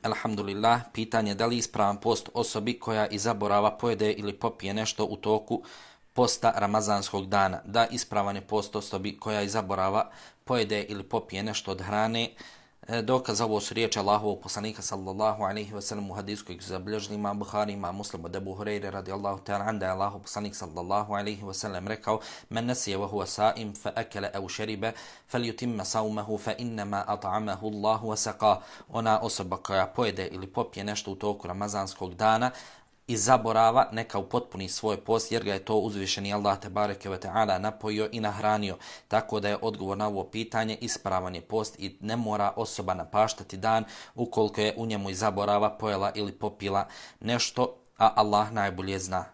Alhamdulillah, pitanje da li ispravan post osobi koja iz zaborava pojede ili popije nešto u toku posta Ramazanskog dana. Da, ispravan je post osobi koja iz zaborava pojede ili popije nešto od hrane. Dokaz ovo su riječi Allahovog poslanika sallallahu alejhi ve sellem u hadisu kojeg su zabilježili imam Buhari, imam Muslim od Ebu Hurajre radijallahu ta'ala an, da je Allahov poslanik sallallahu alejhi ve sellem rekao: "Men nasiya wa huwa sa'im fa akala aw shariba falyutimma sawmahu fa innama at'amahu Allahu wa saqa." Ona osoba koja pojede ili popije nešto u toku Ramazanskog dana i zaborava, neka upotpuni svoj post, jer ga je to uzvišeni Allah tebareke ve ta'ala napojio i nahranio. Tako da je odgovor na ovo pitanje ispravan je post i ne mora osoba napaštati dan ukoliko je u njemu i zaborava, pojela ili popila nešto, a Allah najbolje zna.